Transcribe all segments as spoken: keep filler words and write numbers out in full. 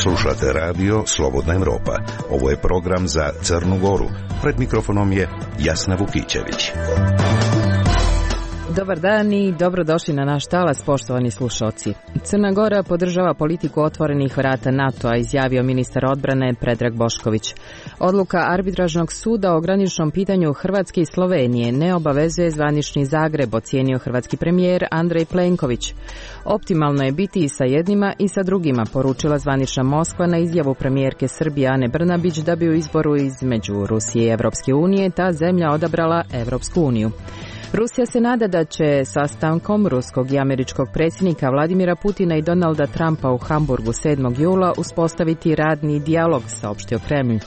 Slušate radio Slobodna Evropa. Ovo je program za Crnu Goru. Pred mikrofonom je Jasna Vukićević. Dobar dan i dobrodošli na naš talas, poštovani slušalci. Crna Gora podržava politiku otvorenih vrata NATO-a, izjavio ministar odbrane Predrag Bošković. Odluka arbitražnog suda o graničnom pitanju Hrvatske i Slovenije ne obavezuje zvanični Zagreb, ocijenio hrvatski premijer Andrej Plenković. Optimalno je biti i sa jednima i sa drugima, poručila zvanična Moskva na izjavu premijerke Srbije Ane Brnabić da bi u izboru između Rusije i Evropske unije ta zemlja odabrala Evropsku uniju. Rusija se nada da će sastankom ruskog i američkog predsjednika Vladimira Putina i Donalda Trumpa u Hamburgu sedmog jula uspostaviti radni dijalog, saopštio Kremlj.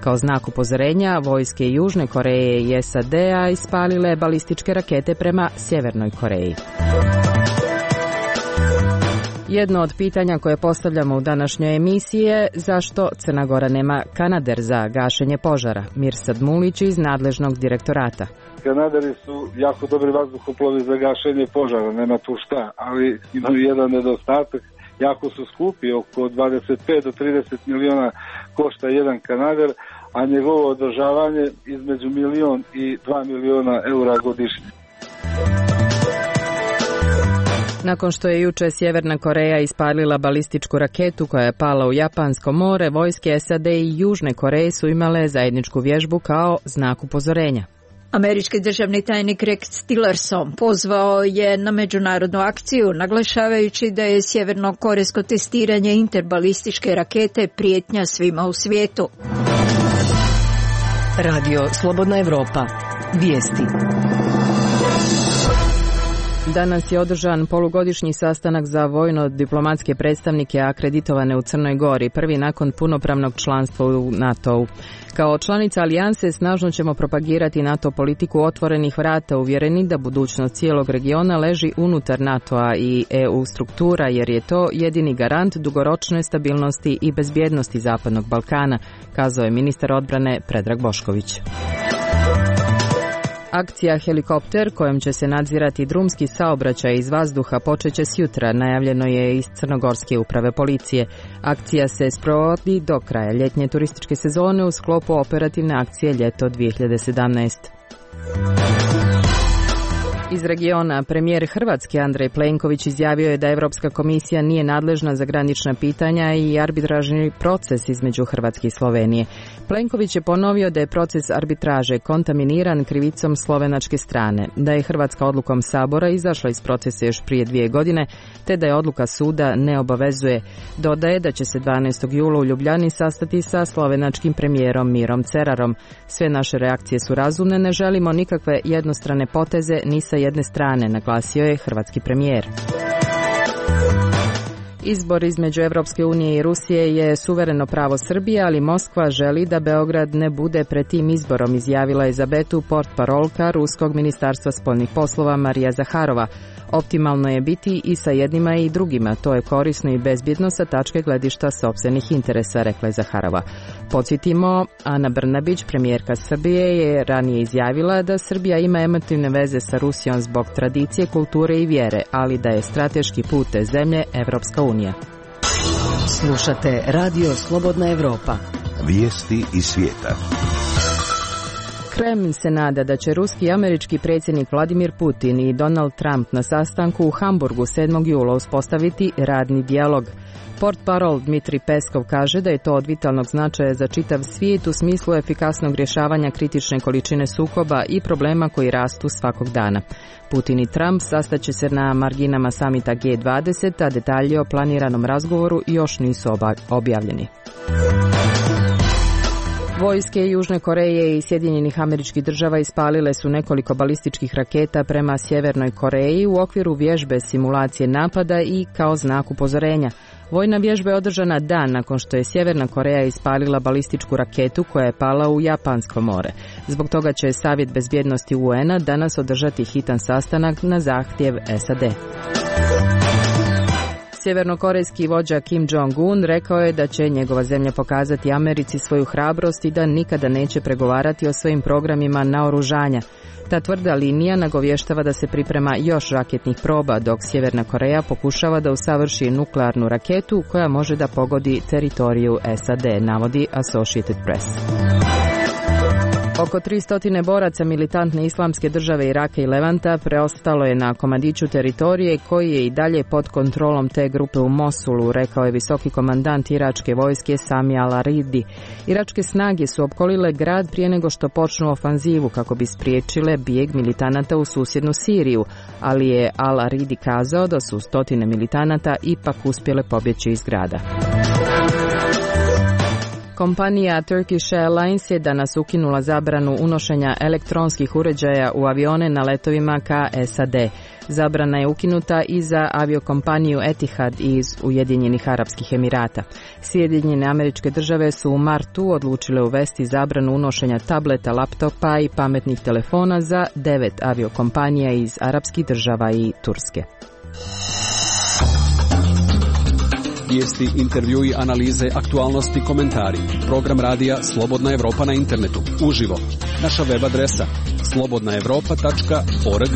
Kao znak upozorenja, vojske Južne Koreje i S A D-a ispalile balističke rakete prema Sjevernoj Koreji. Jedno od pitanja koje postavljamo u današnjoj emisiji je zašto Crna Gora nema kanader za gašenje požara. Mirsad Mulić iz nadležnog direktorata. Kanaderi su jako dobri vazduhoplovi za gašenje požara, nema tu šta, ali imaju jedan nedostatak, jako su skupi, oko dvadeset pet do trideset miliona košta jedan kanader, a njegovo održavanje između milion i dva miliona eura godišnje. Nakon što je juče Sjeverna Koreja ispalila balističku raketu koja je pala u Japansko more, vojske S A D i Južne Koreje su imale zajedničku vježbu kao znak upozorenja. Američki državni tajnik Rex Tillerson pozvao je na međunarodnu akciju, naglašavajući da je sjevernokorejsko testiranje interbalističke rakete prijetnja svima u svijetu. Radio Slobodna Evropa. Vijesti. Danas je održan polugodišnji sastanak za vojno-diplomatske predstavnike akreditovane u Crnoj Gori, prvi nakon punopravnog članstva u NATO-u. Kao članica alijanse snažno ćemo propagirati NATO politiku otvorenih vrata, uvjereni da budućnost cijelog regiona leži unutar NATO-a i E U struktura, jer je to jedini garant dugoročne stabilnosti i bezbjednosti Zapadnog Balkana, kazao je ministar odbrane Predrag Bošković. Akcija Helikopter, kojom će se nadzirati drumski saobraćaj iz vazduha, počeće sjutra, najavljeno je iz Crnogorske uprave policije. Akcija se sprovodi do kraja ljetnje turističke sezone u sklopu operativne akcije Ljeto dvije hiljade sedamnaeste. Iz regiona, premijer Hrvatske Andrej Plenković izjavio je da Europska komisija nije nadležna za granična pitanja i arbitražni proces između Hrvatske i Slovenije. Plenković je ponovio da je proces arbitraže kontaminiran krivicom slovenačke strane, da je Hrvatska odlukom Sabora izašla iz procesa još prije dvije godine, te da je odluka suda ne obavezuje. Dodaje da će se dvanaestog jula u Ljubljani sastati sa slovenačkim premijerom Mirom Cerarom. Sve naše reakcije su razumne, ne želimo nikakve jednostrane poteze ni sa jedne strane, naglasio je hrvatski premijer. Izbor između Evropske unije i Rusije je suvereno pravo Srbije, ali Moskva želi da Beograd ne bude pred tim izborom, izjavila je za Betu portparolka Ruskog ministarstva spoljnih poslova Marija Zaharova. Optimalno je biti i sa jednima i drugima, to je korisno i bezbjedno sa tačke gledišta sopstvenih interesa, rekla je Zaharova. Podsjetimo, Ana Brnabić, premijerka Srbije, je ranije izjavila da Srbija ima emotivne veze sa Rusijom zbog tradicije, kulture i vjere, ali da je strateški put te zemlje Evropska unija. Slušate Radio Slobodna Evropa. Vijesti iz svijeta. Kremlj se nada da će ruski i američki predsjednik Vladimir Putin i Donald Trump na sastanku u Hamburgu sedmog jula uspostaviti radni dijalog. Portparol Dmitrij Peskov kaže da je to od vitalnog značaja za čitav svijet u smislu efikasnog rješavanja kritične količine sukoba i problema koji rastu svakog dana. Putin i Trump sastaće se na marginama samita G dvadeset, a detalji o planiranom razgovoru još nisu objavljeni. Vojske Južne Koreje i Sjedinjenih Američkih Država ispalile su nekoliko balističkih raketa prema Sjevernoj Koreji u okviru vježbe simulacije napada i kao znak upozorenja. Vojna vježba je održana dan nakon što je Sjeverna Koreja ispalila balističku raketu koja je pala u Japansko more. Zbog toga će Savjet bezbjednosti U N-a danas održati hitan sastanak na zahtjev S A D. Sjevernokorejski vođa Kim Jong-un rekao je da će njegova zemlja pokazati Americi svoju hrabrost i da nikada neće pregovarati o svojim programima naoružanja. Ta tvrda linija nagovještava da se priprema još raketnih proba, dok Sjeverna Koreja pokušava da usavrši nuklearnu raketu koja može da pogodi teritoriju S A D, navodi Associated Press. Oko tristo boraca militantne islamske države Iraka i Levanta preostalo je na komadiću teritorije koji je i dalje pod kontrolom te grupe u Mosulu, rekao je visoki komandant iračke vojske Sami al-Aridi. Iračke snage su opkolile grad prije nego što počnu ofanzivu kako bi spriječile bijeg militanata u susjednu Siriju, ali je al-Aridi kazao da su stotine militanata ipak uspjele pobjeći iz grada. Kompanija Turkish Airlines je danas ukinula zabranu unošenja elektronskih uređaja u avione na letovima ka S A D. Zabrana je ukinuta i za aviokompaniju Etihad iz Ujedinjenih Arapskih Emirata. Sjedinjene Američke Države su u martu odlučile uvesti zabranu unošenja tableta, laptopa i pametnih telefona za devet aviokompanija iz Arapskih država i Turske. Vijesti, intervjui, analize, aktualnosti, komentari. Program radija Slobodna Evropa na internetu. Uživo. Naša web adresa slobodna evropa tačka org.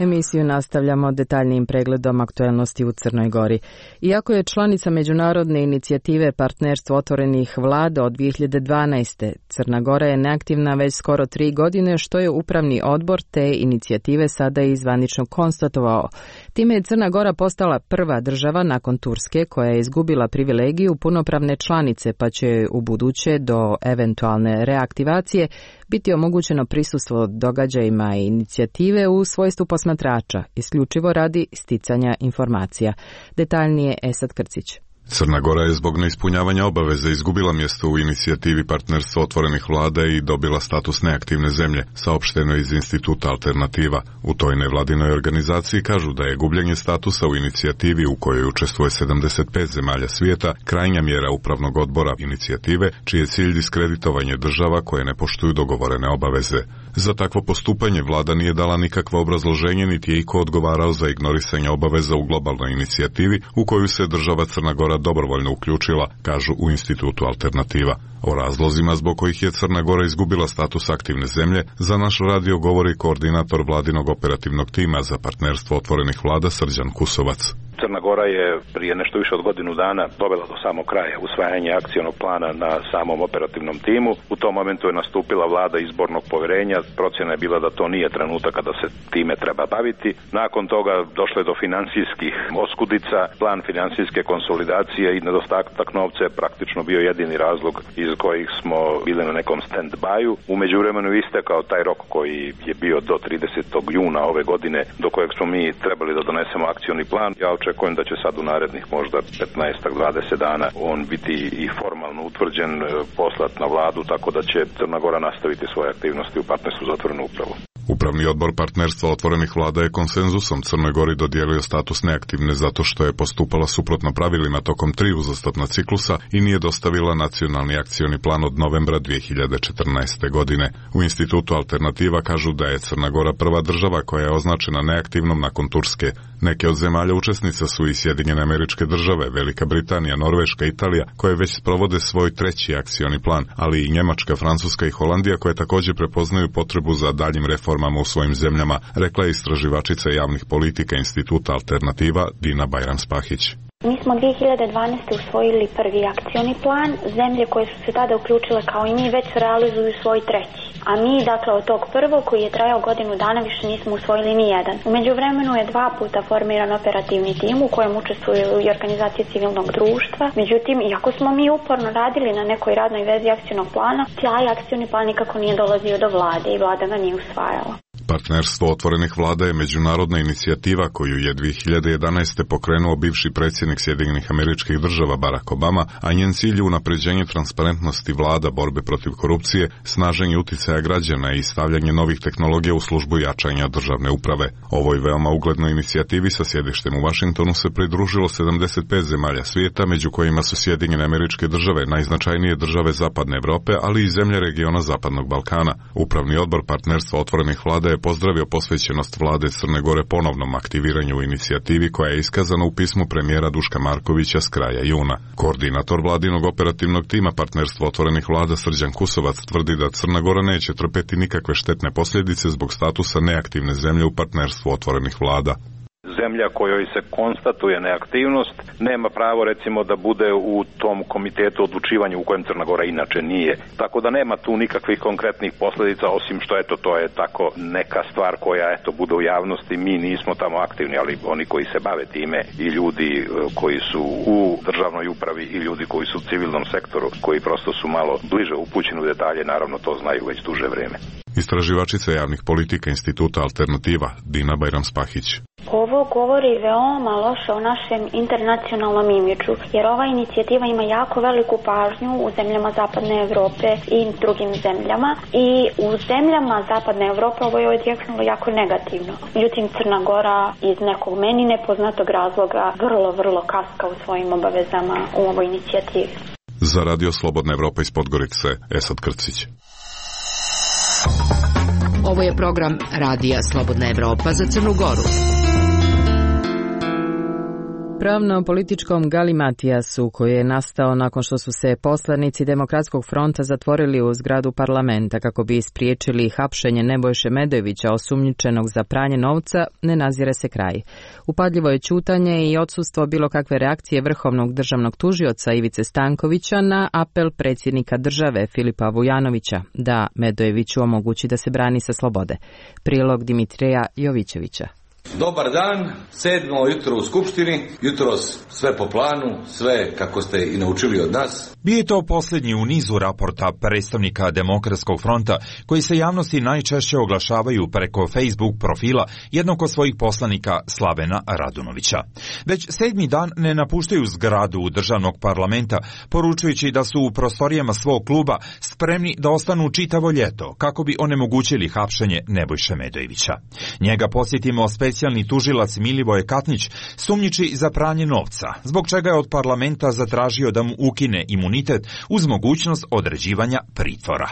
Emisiju nastavljamo detaljnijim pregledom aktualnosti u Crnoj Gori. Iako je članica međunarodne inicijative Partnerstvo otvorenih vlada od dvije hiljade dvanaeste. Crna Gora je neaktivna već skoro tri godine, što je upravni odbor te inicijative sada i zvanično konstatovao. Time je Crna Gora postala prva država nakon Turske koja je izgubila privilegiju punopravne članice, pa će u buduće do eventualne reaktivacije biti omogućeno prisustvo događajima i inicijative u svojstvu posmatrača, isključivo radi sticanja informacija. Detaljnije Esad Krcić. Crna Gora je zbog neispunjavanja obaveze izgubila mjesto u inicijativi Partnerstva otvorenih vlada i dobila status neaktivne zemlje, saopšteno iz Instituta Alternativa. U toj nevladinoj organizaciji kažu da je gubljenje statusa u inicijativi u kojoj učestvuje sedamdeset pet zemalja svijeta krajnja mjera upravnog odbora inicijative, čiji je cilj diskreditovanje država koje ne poštuju dogovorene obaveze. Za takvo postupanje vlada nije dala nikakvo obrazloženje, niti je iko odgovarao za ignorisanje obaveza u globalnoj inicijativi u koju se država Crna Gora dobrovoljno uključila, kažu u Institutu Alternativa. O razlozima zbog kojih je Crna Gora izgubila status aktivne zemlje za naš radio govori koordinator vladinog operativnog tima za Partnerstvo otvorenih vlada Srđan Kusovac. Crna Gora je prije nešto više od godinu dana dovela do samog kraja usvajanje akcionog plana na samom operativnom timu. U tom momentu je nastupila vlada izbornog povjerenja. Procjena je bila da to nije trenutak kada se time treba baviti. Nakon toga došlo je do financijskih oskudica. Plan financijske konsolidacije i nedostatak novca je praktično bio jedini razlog iz kojih smo bili na nekom stand-byu. U međuvremenu istekao taj rok koji je bio do tridesetog juna ove godine, do kojeg smo mi trebali da donesemo akcioni plan. Ja očekujem da će sad u narednih možda petnaest do dvadeset dana on biti i formalno utvrđen, poslat na vladu, tako da će Crna Gora nastaviti svoje aktivnosti u Partnerstvu za otvorenu upravu. Upravni odbor Partnerstva otvorenih vlada je konsenzusom Crnoj Gori dodijelio status neaktivne zato što je postupala suprotno pravilima tokom tri uzastopna ciklusa i nije dostavila nacionalni akcioni plan od novembra dvije hiljade četrnaeste. godine. U Institutu Alternativa kažu da je Crna Gora prva država koja je označena neaktivnom nakon Turske. Neke od zemalja učesnica su i Sjedinjene Američke Države, Velika Britanija, Norveška, Italija, koje već sprovode svoj treći akcioni plan, ali i Njemačka, Francuska i Holandija koje također prepoznaju potrebu za daljim reformama u svojim zemljama, rekla je istraživačica javnih politika Instituta Alternativa Dina Bajram-Spahić. Mi smo dvije hiljade dvanaeste. usvojili prvi akcioni plan. Zemlje koje su se tada uključile kao i mi već realizuju svoj treći. A mi, dakle, od tog prvog koji je trajao godinu dana više nismo usvojili ni jedan. U međuvremenu je dva puta formiran operativni tim u kojem učestvuju i organizacije civilnog društva. Međutim, iako smo mi uporno radili na nekoj radnoj vezi akcionog plana, taj akcioni plan nikako nije dolazio do vlade i vlada ga nije usvajala. Partnerstvo otvorenih vlada je međunarodna inicijativa koju je dvije hiljade jedanaeste. pokrenuo bivši predsjednik Sjedinjenih Američkih Država Barack Obama, a njen cilj je unapređenje transparentnosti vlada, borbe protiv korupcije, snaženje uticaja građana i stavljanje novih tehnologija u službu jačanja državne uprave. Ovoj veoma uglednoj inicijativi sa sjedištem u Washingtonu se pridružilo sedamdeset pet zemalja svijeta, među kojima su Sjedinjene Američke Države, najznačajnije države Zapadne Evrope, ali i zemlje regiona Zapadnog Balkana. Upravni odbor Partnerstva otvorenih vlada je je pozdravio posvećenost vlade Crne Gore ponovnom aktiviranju u inicijativi koja je iskazana u pismu premijera Duška Markovića s kraja juna. Koordinator vladinog operativnog tima Partnerstvo otvorenih vlada Srđan Kusovac tvrdi da Crna Gora neće trpeti nikakve štetne posljedice zbog statusa neaktivne zemlje u Partnerstvu otvorenih vlada. Zemlja kojoj se konstatuje neaktivnost nema pravo recimo da bude u tom komitetu odlučivanja u kojem Crna Gora inače nije. Tako da nema tu nikakvih konkretnih posljedica osim što eto to je tako neka stvar koja eto bude u javnosti. Mi nismo tamo aktivni, ali oni koji se bave time i ljudi koji su u državnoj upravi i ljudi koji su u civilnom sektoru, koji prosto su malo bliže upućeni u detalje, naravno to znaju već duže vrijeme. Istraživačica javnih politika Instituta Alternativa Dina Bajram-Spahić. Ovo govori veoma loše o našem internacionalnom imidžu, jer ova inicijativa ima jako veliku pažnju u zemljama Zapadne Evrope i drugim zemljama i u zemljama Zapadne Evrope ovo je odjeknulo jako negativno. Međutim, Crna Gora iz nekog meni nepoznatog razloga vrlo, vrlo kaska u svojim obavezama u ovoj inicijativi. Za Radio Slobodna Evropa iz Podgorice, Esad Krcić. Ovo je program Radija Slobodna Evropa za Crnu Goru. Pravno-političkom galimatijasu koji je nastao nakon što su se poslanici Demokratskog fronta zatvorili u zgradu parlamenta kako bi spriječili hapšenje Nebojše Medojevića osumnjičenog za pranje novca, ne nazire se kraj. Upadljivo je ćutanje i odsustvo bilo kakve reakcije vrhovnog državnog tužioca Ivice Stankovića na apel predsjednika države Filipa Vujanovića da Medojeviću omogući da se brani sa slobode. Prilog Dimitrija Jovićevića. Dobar dan, sedmo jutro u Skupštini, jutros sve po planu, sve kako ste i naučili od nas. Bio je to posljednji u nizu raporta predstavnika Demokratskog fronta koji se javnosti najčešće oglašavaju preko Facebook profila jednog od svojih poslanika Slavena Radunovića. Već sedmi dan ne napuštaju zgradu državnog parlamenta, poručujući da su u prostorijama svog kluba spremni da ostanu čitavo ljeto kako bi onemogućili hapšenje Nebojše Medojevića. Njega posjetimo specijalni tužilac Milivoje Katnić sumnjiči za pranje novca, zbog čega je od parlamenta zatražio da mu ukine imunitet uz mogućnost određivanja pritvora.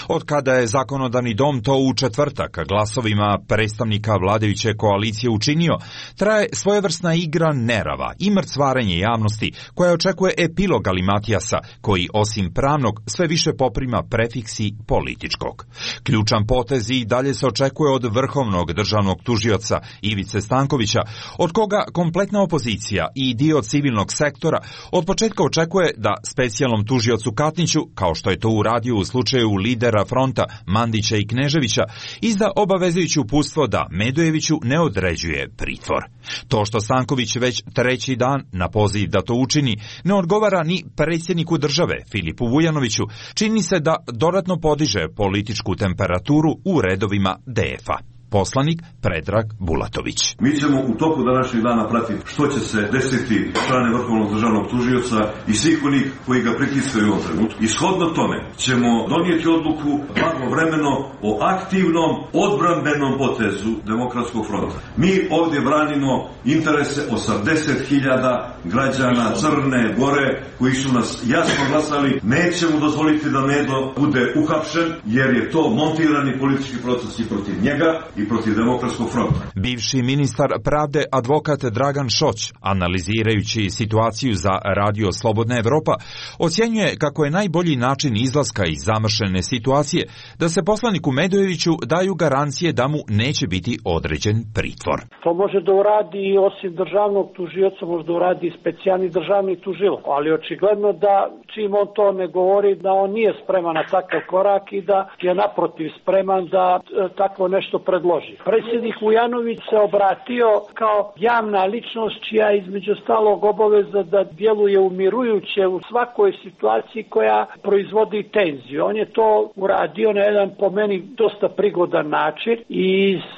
Od kada je zakonodavni dom to u četvrtak glasovima predstavnika vladajuće koalicije učinio, traje svojevrsna igra nerava i mrcvarenje javnosti koja očekuje epilog Galimatijasa, koji osim pravnog sve više poprima prefiksi političkog. Ključan potez i dalje se očekuje od vrhovnog državnog tužioca Ivice Stankovića, od koga kompletna opozicija i dio civilnog sektora od početka očekuje da specijalnom tužiocu Katniću, kao što je to uradio u slučaju lidera fronta Mandića i Kneževića, izda obavezujuće uputstvo da Medojeviću ne određuje pritvor. To što Stanković već treći dan na poziv da to učini ne odgovara ni predsjedniku države Filipu Vujanoviću, čini se da dodatno podiže političku temperaturu u redovima D F-a. Poslanik Predrag Bulatović. Mi ćemo u toku današnjeg dana pratiti što će se desiti strane vrhovnog državnog tužioca i svih onih koji ga pritiskaju u ovom trenutku. Ishodno tome ćemo donijeti odluku blagovremeno o aktivnom odbrambenom potezu Demokratskog fronta. Mi ovdje branimo interese osamdeset hiljada građana Crne Gore koji su nas jasno glasali. Nećemo dozvoliti da Medo bude uhapšen jer je to montirani politički proces i protiv njega i protiv Demokratskog fronta. Bivši ministar pravde advokat Dragan Šoć, analizirajući situaciju za Radio Slobodna Evropa, ocjenjuje kako je najbolji način izlaska iz zamršene situacije da se poslaniku Medojeviću daju garancije da mu neće biti određen pritvor. To može da uradi osim državnog tužioca, može da uradi i specijalni državni tužilac, ali očigledno da čim on to ne govori da on nije spreman na takav korak i da je naprotiv spreman da e, takvo nešto predloži. Predsjednik Vujanović se obratio kao javna ličnost čija između stalog obaveza da djeluje umirujuće u svakoj situaciji koja proizvodi tenziju. On je to uradio na jedan po meni dosta prigodan način i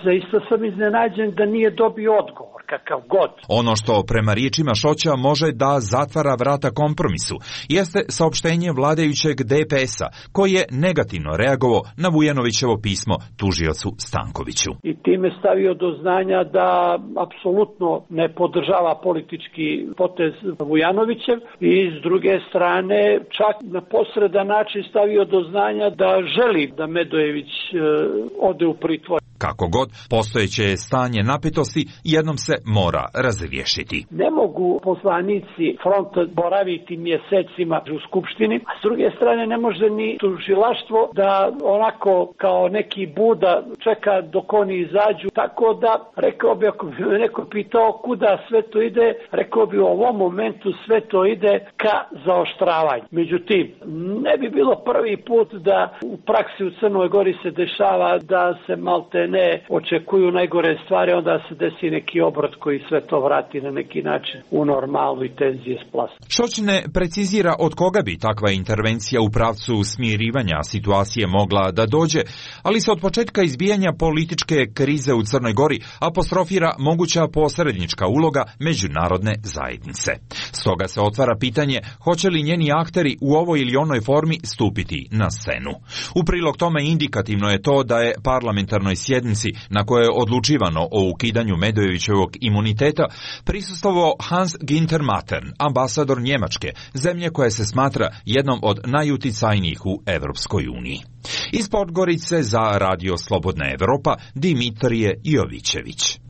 zaista sam iznenađen da nije dobio odgovor. Kakav god. Ono što prema riječima Šoća može da zatvara vrata kompromisu jeste saopštenje vladajućeg D P S-a koji je negativno reagovao na Vujanovićevo pismo tužiocu Stankoviću. I time stavio do znanja da apsolutno ne podržava politički potez Vujanovićev i s druge strane čak na posredan način stavio do znanja da želi da Medojević e, ode u pritvor. Kako god, postojeće stanje napetosti jednom se mora razriješiti. Ne mogu poslanici fronta boraviti mjesecima u Skupštini, a s druge strane ne može ni tužilaštvo da onako kao neki Buda čeka dok oni izađu. Tako da, rekao bi, ako bi me neko pitao kuda sve to ide, rekao bi u ovom momentu sve to ide ka zaoštravanju. Međutim, ne bi bilo prvi put da u praksi u Crnoj Gori se dešava da se malte ne očekuju najgore stvari, onda se desi neki obrot koji sve to vrati na neki način u normalu i tenzije splasa. Šoć ne precizira od koga bi takva intervencija u pravcu smirivanja situacije mogla da dođe, ali se od početka izbijanja političke krize u Crnoj Gori apostrofira moguća posrednička uloga međunarodne zajednice. Stoga se otvara pitanje hoće li njeni akteri u ovoj ili onoj formi stupiti na scenu. U prilog tome indikativno je to da je parlamentarnoj sjednici na kojoj je odlučivano o ukidanju Medojevićevog imuniteta prisustvovao Hans Günther Mattern, ambasador Njemačke, zemlje koja se smatra jednom od najuticajnijih u Evropskoj uniji. Iz Podgorice za Radio Slobodna Evropa, Dimitrije Jovićević.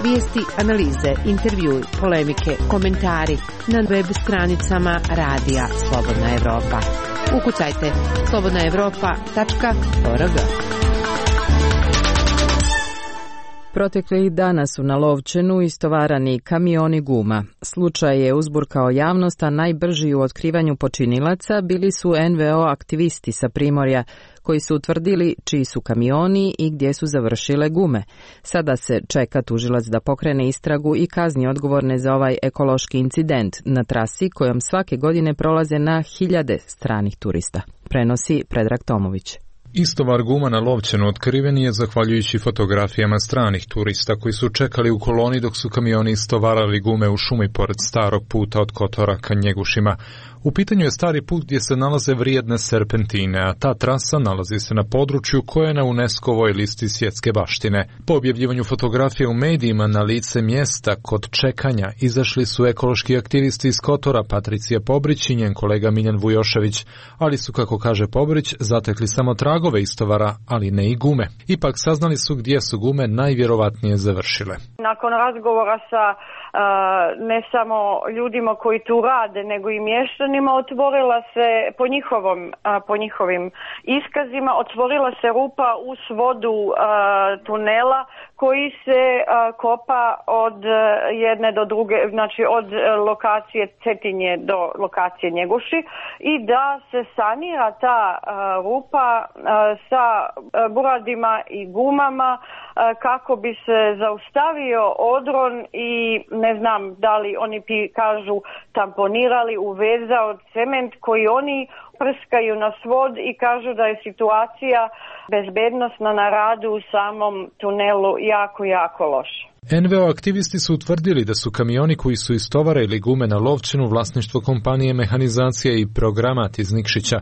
Vijesti, analize, intervjui, polemike, komentari na web stranicama Radija Slobodna Evropa. Ukucajte slobodna evropa tačka org. Proteklih dana su na Lovćenu istovarani kamioni guma. Slučaj je uzburkao javnost, a najbrži u otkrivanju počinilaca bili su en ve o aktivisti sa Primorja, koji su utvrdili čiji su kamioni i gdje su završile gume. Sada se čeka tužilac da pokrene istragu i kazni odgovorne za ovaj ekološki incident na trasi kojom svake godine prolaze na hiljade stranih turista. Prenosi Predrag Tomović. Istovar guma na Lovćenu otkriven je zahvaljujući fotografijama stranih turista koji su čekali u koloni dok su kamioni istovarali gume u šumi pored starog puta od Kotora ka Njegušima. U pitanju je stari put gdje se nalaze vrijedne serpentine, a ta trasa nalazi se na području koje je na UNESCO-voj listi svjetske baštine. Po objavljivanju fotografije u medijima na lice mjesta kod čekanja izašli su ekološki aktivisti iz Kotora, Patricija Pobrić i njen kolega Miljan Vujošević, ali su, kako kaže Pobrić, zatekli samo tragove istovara, ali ne i gume. Ipak saznali su gdje su gume najvjerovatnije završile. Nakon razgovora sa Uh, ne samo ljudima koji tu rade, nego i mještanima, otvorila se po njihovom, uh, po njihovim iskazima, otvorila se rupa u svodu uh, tunela koji se uh, kopa od uh, jedne do druge, znači od uh, lokacije Cetinje do lokacije Njeguši, i da se sanira ta uh, rupa uh, sa uh, buradima i gumama uh, kako bi se zaustavio odron i ne znam da li oni pi, kažu tamponirali, uvezao cement koji oni prskaju na svod i kažu da je situacija bezbednosna na radu u samom tunelu jako, jako loša. en ve o aktivisti su utvrdili da su kamioni koji su istovarili gume na Lovćenu vlasništvo kompanije Mehanizacija i Programat iz Nikšića.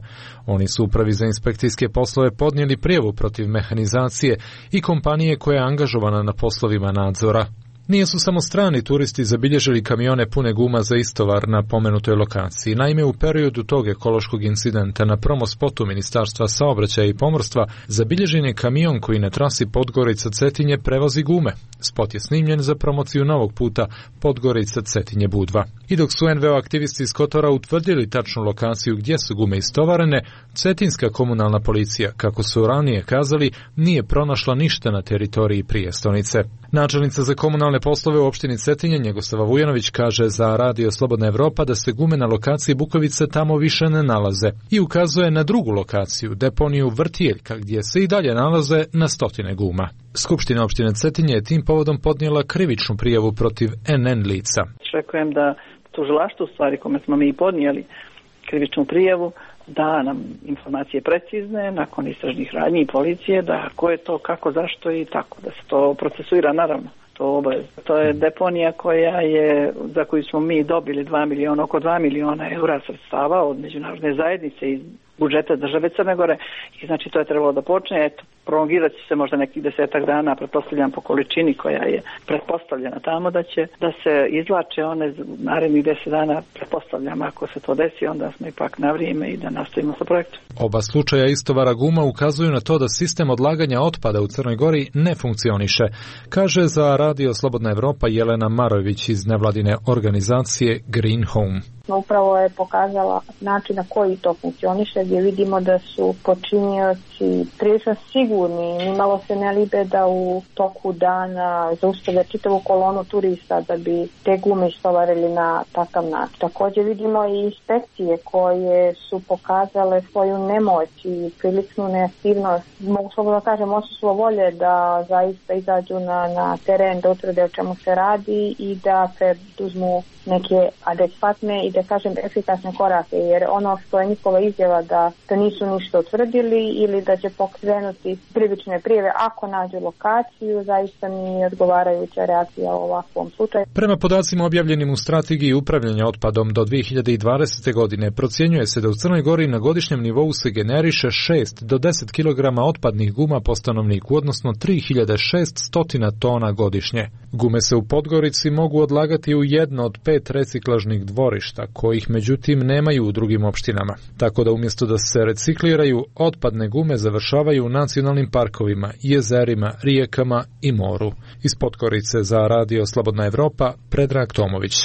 Oni su upravi za inspekcijske poslove podnijeli prijavu protiv Mehanizacije i kompanije koja je angažovana na poslovima nadzora. Nije su samo strani turisti zabilježili kamione pune guma za istovar na pomenutoj lokaciji. Naime, u periodu tog ekološkog incidenta na promospotu Ministarstva saobraćaja i pomorstva zabilježen je kamion koji na trasi Podgorica-Cetinje prevozi gume. Spot je snimljen za promociju novog puta Podgorica-Cetinje-Budva. I dok su en ve o aktivisti iz Kotora utvrdili tačnu lokaciju gdje su gume istovarene, cetinska komunalna policija, kako su ranije kazali, nije pronašla ništa na teritoriji prijestolnice. Načelnica za komunalne poslove u opštini Cetinje, Njegoslava Vujanović, kaže za Radio Slobodna Evropa da se gume na lokaciji Bukovice tamo više ne nalaze i ukazuje na drugu lokaciju, deponiju Vrtijeljka, gdje se i dalje nalaze na stotine guma. Skupština opštine Cetinje je tim povodom podnijela krivičnu prijavu protiv en en lica. Očekujem da tužilaštvo, u stvari kome smo mi podnijeli krivičnu prijavu, da nam informacije precizne nakon istražnih radnji i policije, da ko je to, kako, zašto i tako, da se to procesuira, naravno. To obavez. To je deponija koja je, za koju smo mi dobili dva miliona, oko dva miliona eura sredstava od međunarodne zajednice i budžeta države Crne Gore, i znači to je trebalo da počne, eto, prolongirat će se možda nekih desetak dana, pretpostavljam po količini koja je pretpostavljena tamo da će da se izvlače one narednih deset dana, pretpostavljam ako se to desi, onda smo ipak na vrijeme i da nastavimo sa projektom. Oba slučaja istovara guma ukazuju na to da sistem odlaganja otpada u Crnoj Gori ne funkcioniše, kaže za Radio Slobodna Evropa Jelena Marojević iz nevladine organizacije Green Home. Upravo je pokazala način na koji to funkcioniše, gdje vidimo da su počinioci prilično sigurni, nimalo se ne libe da u toku dana zaustave čitavu kolonu turista da bi te gume istovarili na takav način. Također vidimo i inspekcije koje su pokazale svoju nemoć i priličnu neaktivnost. Mogu slobodno kažem, odsustvo volje da zaista izađu na, na teren, da utvrde o čemu se radi i da preduzmu neke adekvatne i da kažem efikasne korake, jer ono što je njihova izjava da, da nisu ništa utvrdili ili da će pokrenuti krivične prijave ako nađu lokaciju, zaista nije odgovarajuća reakcija u ovakvom slučaju. Prema podacima objavljenim u strategiji upravljanja otpadom do dvije hiljade dvadesete. godine procjenjuje se da u Crnoj Gori na godišnjem nivou se generiše šest do deset kilograma otpadnih guma po stanovniku, odnosno tri hiljade šeststo tona godišnje. Gume se u Podgorici mogu odlagati u jedno od pet reciklažnih dvorišta, kojih međutim nemaju u drugim opštinama. Tako da umjesto da se recikliraju, otpadne gume završavaju u nacionalnim parkovima, jezerima, rijekama i moru. Iz Podgorice za Radio Slobodna Evropa, Predrag Tomović.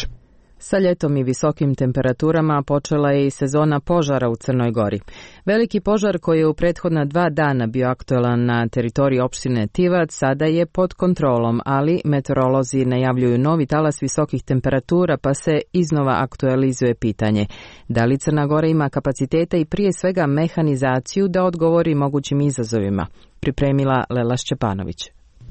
Sa ljetom i visokim temperaturama počela je i sezona požara u Crnoj Gori. Veliki požar koji je u prethodna dva dana bio aktualan na teritoriji opštine Tivac sada je pod kontrolom, ali meteorolozi najavljuju novi talas visokih temperatura, pa se iznova aktualizuje pitanje da li Crna Gora ima kapaciteta i prije svega mehanizaciju da odgovori mogućim izazovima. Pripremila Lela Šćepanović.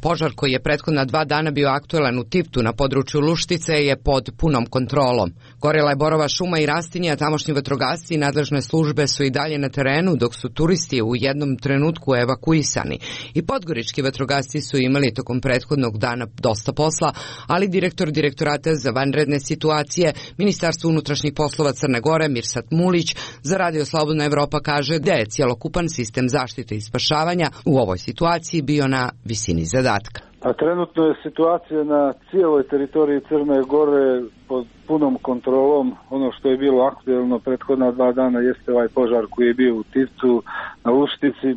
Požar koji je prethodna dva dana bio aktualan u Tivtu na području Luštice je pod punom kontrolom. Gorela je borova šuma i rastinje, a tamošnji vatrogasci i nadležne službe su i dalje na terenu, dok su turisti u jednom trenutku evakuisani. I podgorički vatrogasci su imali tokom prethodnog dana dosta posla, ali direktor Direktorata za vanredne situacije Ministarstva unutrašnjih poslova Crne Gore Mirsad Mulić za Radio Slobodna Evropa kaže da je cjelokupan sistem zaštite i spašavanja u ovoj situaciji bio na visini zadatka. A trenutno je situacija na cijeloj teritoriji Crne Gore pod punom kontrolom. Ono što je bilo aktuelno prethodna dva dana jeste ovaj požar koji je bio u Tivcu na Luštici.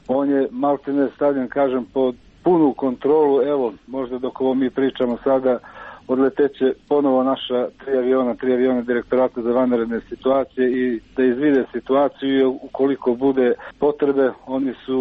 On je maltene stavljen, kažem, pod punu kontrolu. Evo, možda dok ovo mi pričamo sada, odleteće ponovo naša tri aviona, tri aviona Direktorata za vanredne situacije i da izvide situaciju i ukoliko bude potrebe, oni su,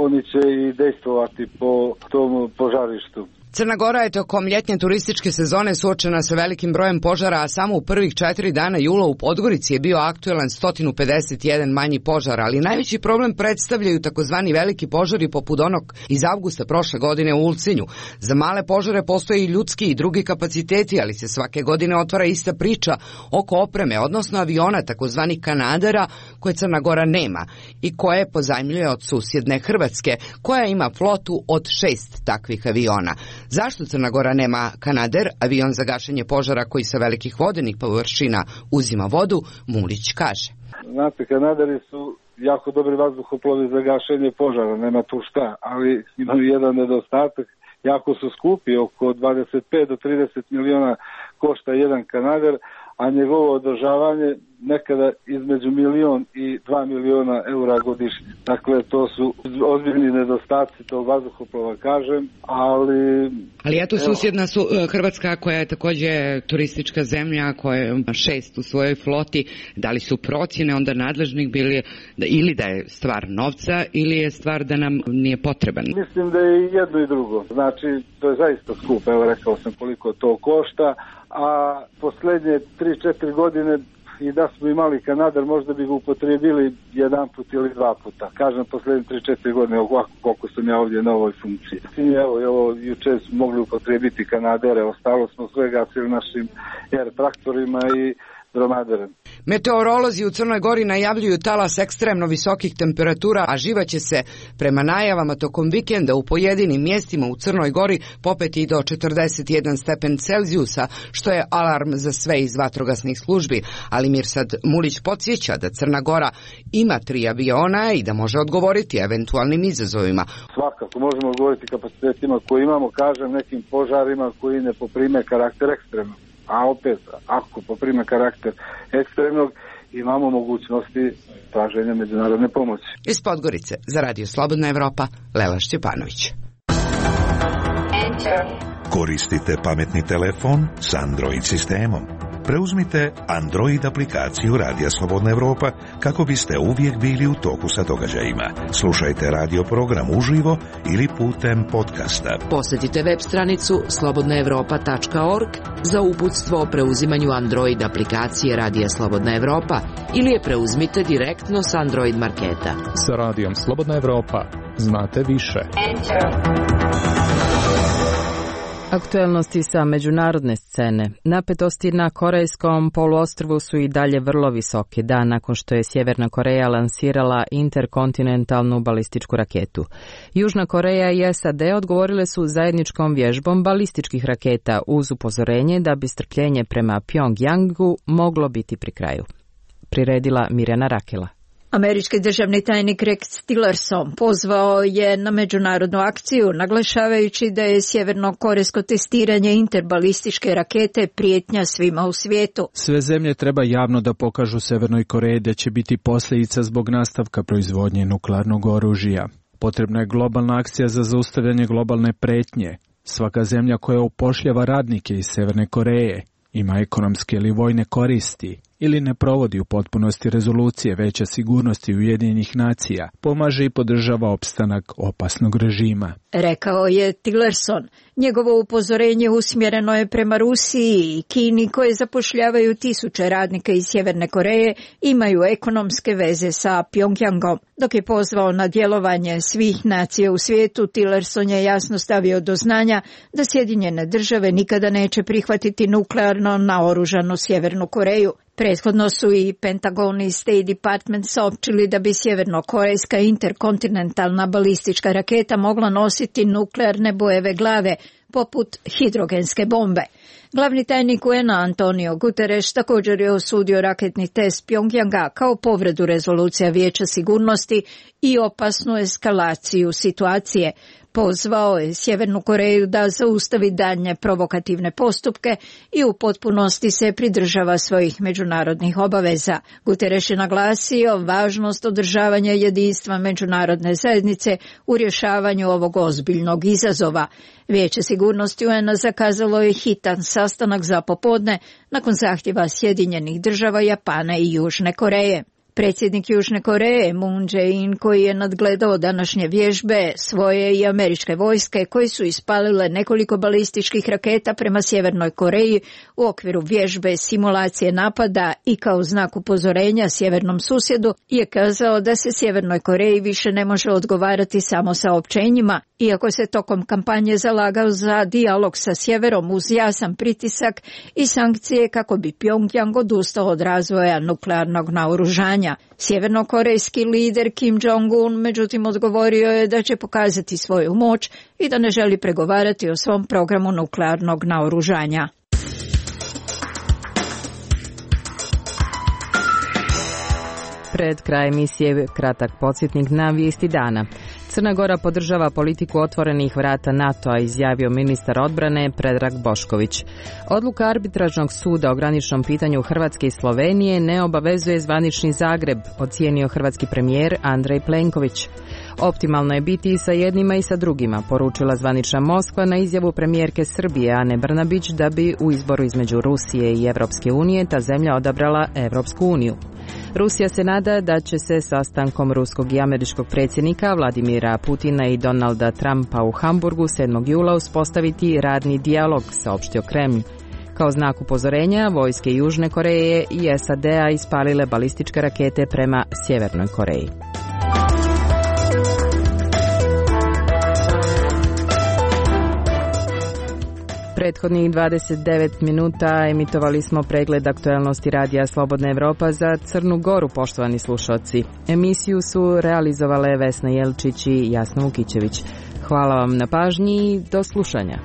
oni će i dejstvovati po tom požarištu. Crna Gora je tokom ljetnje turističke sezone suočena sa velikim brojem požara, a samo u prvih četiri dana jula u Podgorici je bio aktualan sto pedeset jedan manji požar, ali najveći problem predstavljaju takozvani veliki požari poput onog iz avgusta prošle godine u Ulcinju. Za male požare postoje i ljudski i drugi kapaciteti, ali se svake godine otvara ista priča oko opreme, odnosno aviona takozvanih kanadera koje Crna Gora nema i koje pozajmljuje od susjedne Hrvatske, koja ima flotu od šest takvih aviona. Zašto Crna Gora nema Kanader, avion za gašenje požara koji sa velikih vodenih površina uzima vodu, Mulić kaže. Znate, Kanaderi su jako dobri vazduhoplovi za gašenje požara, nema tu šta, ali imaju jedan nedostatak, jako su skupi, oko dvadeset pet do trideset miliona košta jedan Kanader, a njegovo održavanje nekada između milion i dva miliona eura godišnje. Dakle, to su ozbiljni nedostaci tog vazduhoplova, kažem, ali... Ali eto susjedna su Hrvatska, koja je također turistička zemlja, koja ima šest u svojoj floti, da li su procjene onda nadležnih bili ili da je stvar novca ili je stvar da nam nije potreban? Mislim da je jedno i drugo. Znači, to je zaista skupo, evo rekao sam koliko to košta, a posljednje tri četiri godine i da smo imali Kanader, možda bi ga upotrijebili jedan put ili dva puta. Kažem, posljednje tri četiri godine, ovako koliko sam ja ovdje na ovoj funkciji. Evo, evo jučer smo mogli upotrijebiti Kanadere, ostalo smo sve gasili našim air traktorima i dromaderen. Meteorolozi u Crnoj Gori najavljuju talas ekstremno visokih temperatura, a živa će se prema najavama tokom vikenda u pojedinim mjestima u Crnoj Gori popeti do četrdeset jedan stepen Celzijusa, što je alarm za sve iz vatrogasnih službi. Ali Mirsad Mulić podsjeća da Crna Gora ima tri aviona i da može odgovoriti eventualnim izazovima. Svakako možemo odgovoriti kapacitetima koje imamo, kažem, nekim požarima koji ne poprime karakter ekstremnog. A opet, ako poprime karakter ekstremnog, imamo mogućnosti traženja međunarodne pomoći. Iz Podgorice, za Radio Slobodna Evropa, Lela Šćepanović. Koristite pametni telefon s Android sistemom. Preuzmite Android aplikaciju Radija Slobodna Evropa kako biste uvijek bili u toku sa događajima. Slušajte radio program uživo ili putem podcasta. Posjetite web stranicu slobodna evropa tačka org za uputstvo o preuzimanju Android aplikacije Radija Slobodna Evropa ili je preuzmite direktno s Android marketa. Sa Radijom Slobodna Evropa znate više. Aktuelnosti sa međunarodne scene. Napetosti na Korejskom poluostrvu su i dalje vrlo visoke dan nakon što je Sjeverna Koreja lansirala interkontinentalnu balističku raketu. Južna Koreja i S A D odgovorile su zajedničkom vježbom balističkih raketa uz upozorenje da bi strpljenje prema Pjongjangu moglo biti pri kraju. Priredila Mirjana Rakela. Američki državni tajnik Rex Tillerson pozvao je na međunarodnu akciju, naglašavajući da je sjeverno-korejsko testiranje interbalističke rakete prijetnja svima u svijetu. Sve zemlje treba javno da pokažu Severnoj Koreji da će biti posljedica zbog nastavka proizvodnje nuklearnog oružja. Potrebna je globalna akcija za zaustavljanje globalne pretnje. Svaka zemlja koja upošljava radnike iz Severne Koreje ima ekonomske ili vojne koristi ili ne provodi u potpunosti rezolucije Veća sigurnosti Ujedinjenih nacija, pomaže i podržava opstanak opasnog režima. Rekao je Tillerson. Njegovo upozorenje usmjereno je prema Rusiji i Kini koje zapošljavaju tisuće radnika iz Sjeverne Koreje, imaju ekonomske veze sa Pjongjangom. Dok je pozvao na djelovanje svih nacija u svijetu, Tillerson je jasno stavio do znanja da Sjedinjene države nikada neće prihvatiti nuklearno naoružanu Sjevernu Koreju. Prethodno su i Pentagon i State Department saopćili da bi sjevernokorejska interkontinentalna balistička raketa mogla nositi nuklearne bojeve glave, poput hidrogenske bombe. Glavni tajnik U N-a Antonio Guterres također je osudio raketni test Pjongjanga kao povredu rezolucija Vijeća sigurnosti i opasnu eskalaciju situacije. Pozvao je Sjevernu Koreju da zaustavi daljnje provokativne postupke i u potpunosti se pridržava svojih međunarodnih obaveza. Guterres je naglasio važnost održavanja jedinstva međunarodne zajednice u rješavanju ovog ozbiljnog izazova. Vijeće sigurnosti U N-a zakazalo je hitan sastanak za popodne nakon zahtjeva Sjedinjenih država, Japana i Južne Koreje. Predsjednik Južne Koreje Moon Jae-in, koji je nadgledao današnje vježbe svoje i američke vojske koje su ispalile nekoliko balističkih raketa prema Sjevernoj Koreji u okviru vježbe simulacije napada i kao znak upozorenja sjevernom susjedu, je kazao da se Sjevernoj Koreji više ne može odgovarati samo saopćenjima, iako se tokom kampanje zalagao za dijalog sa sjeverom uz jasan pritisak i sankcije kako bi Pjongjang odustao od razvoja nuklearnog naoružanja. Sjevernokorejski lider Kim Jong-un međutim odgovorio je da će pokazati svoju moć i da ne želi pregovarati o svom programu nuklearnog naoružanja. Pred kraj emisije kratak podsjetnik na vijesti dana. Crna Gora podržava politiku otvorenih vrata NATO-a, izjavio ministar odbrane Predrag Bošković. Odluka arbitražnog suda o graničnom pitanju Hrvatske i Slovenije ne obavezuje zvanični Zagreb, ocijenio hrvatski premijer Andrej Plenković. Optimalno je biti i sa jednima i sa drugima, poručila zvanična Moskva na izjavu premijerke Srbije Ane Brnabić da bi u izboru između Rusije i Evropske unije ta zemlja odabrala Evropsku uniju. Rusija se nada da će se sastankom ruskog i američkog predsjednika Vladimira Putina i Donalda Trumpa u Hamburgu sedmog jula uspostaviti radni dijalog, saopštio Kremlj. Kao znak upozorenja, vojske Južne Koreje i S A D-a ispalile balističke rakete prema Sjevernoj Koreji. Prethodnih dvadeset devet minuta emitovali smo pregled aktuelnosti radija Slobodna Evropa za Crnu Goru, poštovani slušalci. Emisiju su realizovale Vesna Jelčić i Jasna Vukićević. Hvala vam na pažnji i do slušanja.